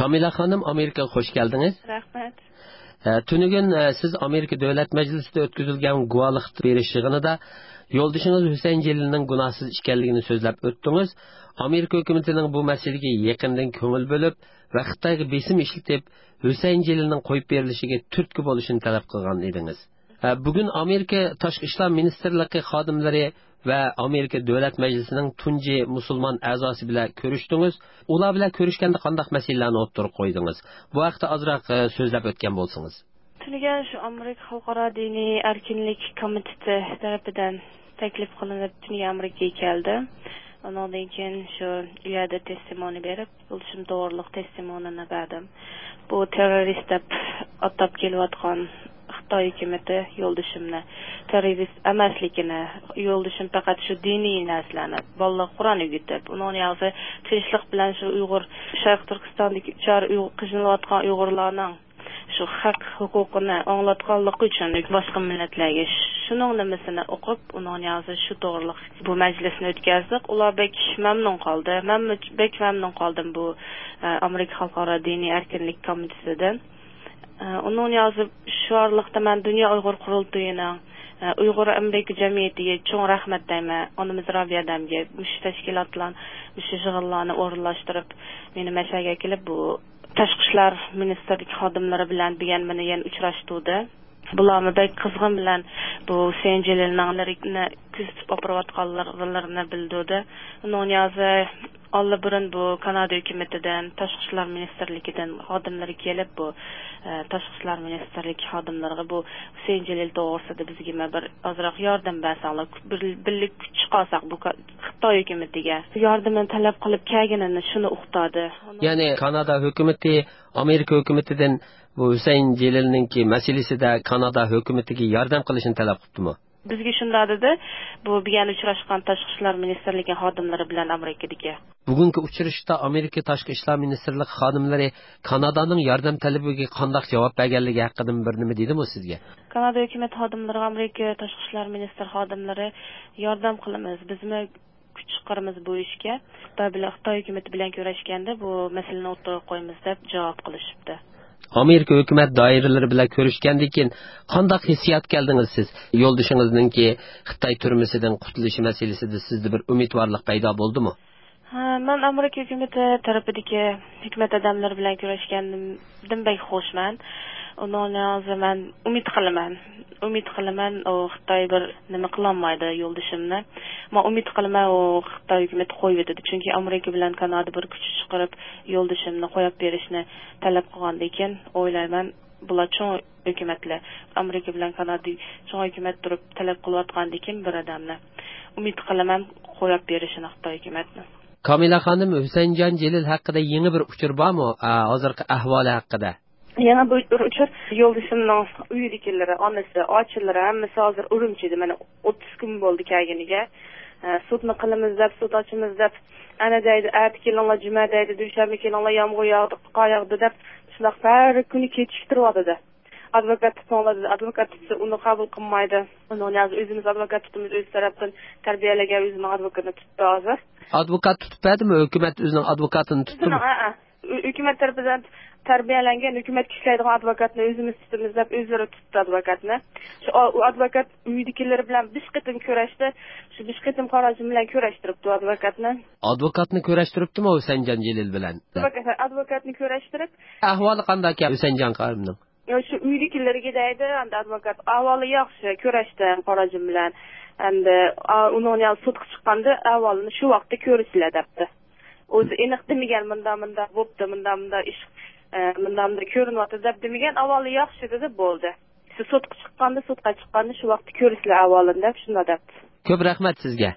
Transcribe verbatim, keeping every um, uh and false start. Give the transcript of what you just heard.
ئامىلە خانىم، ئامېرىكىغا خوش كەلدىڭىز. رەھمەت. ئە، تۈنۈگۈن، ئە، سىز ئامېرىكا دۆلەت مەجلىسىدە ئۆتكۈزۈلگەن گۇۋاھلىق بېرىش يىغىنىدا يولدىشىڭىز ھۈسەيىن جېلىلنىڭ گۇناھسىز ئىكەنلىكىنى سۆزلەپ ئۆتتىڭىز. ئامېرىكا ھۆكۈمىتىنىڭ بۇ مەسىلىگە يېقىندىن كۆڭۈل بۆلۈپ ۋە خىتايغا بېسىم ئىشلىتىپ، ھۈسەيىن جېلىلنىڭ قويۇپ بېرىلىشىگە تۈرتكە بولۇشىنى تەلەپ قىلغان ئىدىڭىز. ھە، بۈگۈن ئامېرىكا تاشقى ئىشلار مىنىستىرلىقى خادىملىرى ۋە ئامېرىكا دۆلەت مەجلىسىنىڭ تۇنجى مۇسۇلمان ئەزاسى بىلەن كۆرۈشتىڭىز. ئۇلار بىلەن كۆرۈشكەندە قانداق مەسىلىلەرنى ئوتتۇرىغا قويدىڭىز؟ بۇ ھەقتە ئازراق، ئە، سۆزلەپ ئۆتكەن بولسىڭىز. تۈنۈگۈن شۇ ئامېرىكا خەلقئارا دىنىي ئەركىنلىك كومىتېتى تەرىپىدىن تەكلىپ قىلىنىپ، تۈنۈگۈن ئامېرىكىغا كەلدىم. ئۇنىڭدىن كېيىن شۇ يەردە تېستىمونى بېرىپ، يولدىشىم توغرۇلۇق تېستىمونىنى بەردىم. بۇ تېررورىست دەپ ئاتاپ كېلىۋاتقان خىتاي ھۆكۈمىتى يولدىشىمنى تېررورىست ئەمەسلىكىنى، يولدىشىم پەقەت شۇ دىنىي نەرسىلەرنى، بالىلارغا قۇرئان ئۆگىتىپ، ئۇنىڭ يازى تىنچلىق بىلەن شۇ ئۇيغۇر، شەرقىي تۈركىستاندىكى ئۇچار ئۇيغۇر، قىينىلىۋاتقان ئۇيغۇرلارنىڭ شۇ ھەق ھوقۇقىنى ئاڭلاتقانلىقى ئۈچۈن باشقا مىللەتلەرگە شۇنىڭ نېمىسىنى ئوقۇپ، ئۇنىڭ نىيازى شۇ توغرىلىق بۇ مەجلىسنى ئۆتكەزدۇق. ئۇلار بەك مەمنۇن قالدى. مەنمۇ بەك مەمنۇن قالدىم بۇ، ئە، ئامېرىكا خەلقئارا دىنىي ئەركىنلىك كومىتېتىدىن. ئە، ئۇنىڭ نىيازى شۇ ئارىلىقتا مەن دۇنيا ئۇيغۇر قۇرۇلتىيىنىڭ، ئە، ئۇيغۇر ئامېرىكا جەمئىيىتىگە چوڭ رەھمەت دەيمەن. ئانىمىز رابىيە دەمگە مۇشۇ تەشكىلاتلار، مۇشۇ يىغىنلارنى ئورۇنلاشتۇرۇپ، مېنى مەشەگە كېلىپ بۇ تاشقى ئىشلار مىنىستىرلىكى خادىملىرى بىلەن بۈگۈن مېنى يەنە ئۇچراشتۇردى. بۇلارمۇ بەك قىزغىن بىلەن بۇ ھۈسەيىن جېلىلنىڭ كۆزىتىپ ئاپىرىۋاتقانلىرىنى بىلدۈردى. ئۇنىڭ نىيازى ئاللىبۇرۇن بۇ كانادا ھۆكۈمىتىدىن، تاشقى ئىشلار مىنىستىرلىكىدىن خادىملىرى كېلىپ، بۇ، ئە، تاشقى ئىشلار مىنىستىرلىكى خادىملىرىغا بۇ ھۈسەيىن جېلىل توغرىسىدا بىزگىمۇ بىر ئازراق ياردەم بەرسەڭلار، بىر، بىرلىككە كۈچ چىقارساق بۇ كا-، خىتاي ھۆكۈمىتىگە ياردىمىنى تەلەپ قىلىپ كەلگىنىنى شۇنى ئۇقتۇردى. يەنى كانادا ھۆكۈمىتى ئامېرىكا ھۆكۈمىتىدىن بۇ ھۈسەيىن جېلىلنىڭكى مەسىلىسىدە كانادا ھۆكۈمىتىگە ياردەم قىلىشنى تەلەپ قىپتىمۇ؟ بىزگە شۇنداق دېدى، بۇ بۈگۈن ئۇچراشقان تاشقى ئىشلار مىنىستىرلىكى خادىملىرى بىلەن ئامېرىكىدىكى. بۈگۈنكى ئۇچرىشىشتا ئامېرىكا تاشقى ئىشلار مىنىستىرلىقى خادىملىرى كانادانىڭ ياردەم تەلىپىگە قانداق جاۋاب بەرگەنلىكى ھەققىدىمۇ بىر نېمە دېدىمۇ سىزگە؟ كانادا ھۆكۈمەت خادىملىرىغا ئامېرىكا تاشقى ئىشلار مىنىستىر خادىملىرى ياردەم قىلىمىز، بىزمۇ كۈچ چىقىرىمىز بۇ ئىشكە. خىتاي بىلەن، خىتاي ھۆكۈمىتى بىلەن كۆرۈشكەندە بۇ مەسىلىنى ئوتتۇرىغا قويىمىز دەپ جاۋاب قىلىشىپتۇ. ئامېرىكا ھۆكۈمەت دائىرىلىرى بىلەن كۆرۈشكەندىن كېيىن قانداق ھېسسىياتقا كەلدىڭىز سىز؟ يولدىشىڭىزنىڭكى خىتاي تۈرمىسىدىن قۇتۇلۇشى مەسىلىسىدە سىزدە بىر ئۈمىدۋارلىق پەيدا بولدىمۇ؟ ھە، مەن ئامېرىكا ھۆكۈمىتى تەرىپىدىكى ھۆكۈمەت ئادەملىرى بىلەن كۆرۈشكەندىن بەك خۇشمەن. ئۇنىڭ ھازىر مەن ئۈمىد قىلىمەن. ئۈمىد قىلىمەن، ئۇ خىتاي بىر نېمە قىلالمايدۇ يولدىشىمنى. مەن ئۈمىد قىلىمەن، ئۇ خىتاي ھۆكۈمىتى قويۇۋېتىدۇ. چۈنكى ئامېرىكا بىلەن كانادا بىر كۈچ چىقىرىپ، يولدىشىمنى قويۇپ بېرىشنى تەلەپ قىلغاندىن كېيىن، ئويلايمەن، بۇلار چوڭ ھۆكۈمەتلەر. ئامېرىكا بىلەن كانادا چوڭ ھۆكۈمەت تۇرۇپ تەلەپ قىلىۋاتقاندىن كېيىن بىر ئادەمنى ئۈمىد قىلىمەن قويۇپ بېرىشىنى خىتاي ھۆكۈمەتنى. كامىلە خانىم، ھۈسەيىنجان جېلىل ھەققىدە يېڭى بىر ئۇچۇر بارمۇ؟ ئا، ھازىرقى ئەھۋالى ھەققىدە. يەنە بۇ بىر ئۇچۇر، يولدىشىمنىڭ ئۆيىدىكىلىرى، ئانىسى، ئاچىلىرى ھەممىسى ھازىر ئۈرۈمچىدە. مانا ئوتتۇز كۈن بولدى كەلگىنىگە. ئە، سوتنى قىلىمىز دەپ، سوت ئاچىمىز دەپ، ئەنە دەيدۇ، ئەتە كېلىڭلار، جۈمە دەيدۇ، دۈشەنبە كېلىڭلار، يامغۇر ياغدى، قار ياغدى دەپ، شۇنداق ھەر كۈنى كېچىكتۈرۈۋاتىدۇ. ئادۋوكات تۇتۇڭلار دېدى. ئادۋوكات تۇتسا، ئۇنى قەبۇل قىلمايدۇ. ئۇنىڭ ھازىر ئۆزىمىز ئادۋوكات تۇتىمىز، ئۆز تەرەپتىن تەربىيەلىگەن ئۆزىنىڭ ئادۋوكاتىنى تۇتتى ھازىر. ئادۋوكات تۇتۇپ بەردىمۇ؟ ھۆكۈمەت ئۆزىنىڭ ئادۋوكاتىنى تۇتتىمۇ؟ ئۆزىنىڭ، ھەئە. ھۆ-، ھۆكۈمەت تەرىپىدىن تەربىيەلەنگەن، ھۆكۈمەتكە ئىشلەيدىغان ئادۋوكاتنى ئۆزىمىز تۇتىمىز دەپ، ئۆزلىرى تۇتتى ئادۋوكاتنى. شۇ ئا-، ئۇ ئادۋوكات ئۆيدىكىلىرى بىلەن بىش قېتىم كۆرۈشتى. شۇ بىش قېتىم قاراشىم بىلەن كۆرۈشتۈرۈپتۇ ئادۋوكاتنى. ئادۋوكاتنى كۆرۈشتۈرۈپتىمۇ ھۈسەيىنجان جېلىل بىلەن؟ ئادۋوكات، ئادۋوكاتنى كۆرۈشتۈرۈپ. ئەھۋالى قانداككەن ھۈسەيىنجان قارىمنىڭ؟ يا، شۇ ئۆيدىكىلەرگە دەيدۇ، ئەمدى ئادۋوكات، ئەھۋالى ياخشى، كۆرۈشتىم قاراجىم بىلەن. ئەمدى، ئا، ئۇنىڭ يا سوتقا چىققاندا ئەھۋالىنى شۇ ۋاقىتتا كۆرىسىلەر دەپتۇ. ئۆزى ئېنىق دېمىگەن، مۇنداق، مۇنداق بوپتۇ، مۇنداق، مۇنداق ئىش، ئە، مۇنداق، مۇنداق كۆرۈنۈۋاتىدۇ دەپ دېمىگەن، ئەھۋالى ياخشى دېدى، بولدى. شۇ سوتقا چىققاندا، سوتقا چىققاندا شۇ ۋاقىتتا كۆرىسىلەر ئەھۋالىنى دەپ شۇنداق دەپتۇ. كۆپ رەھمەت سىزگە.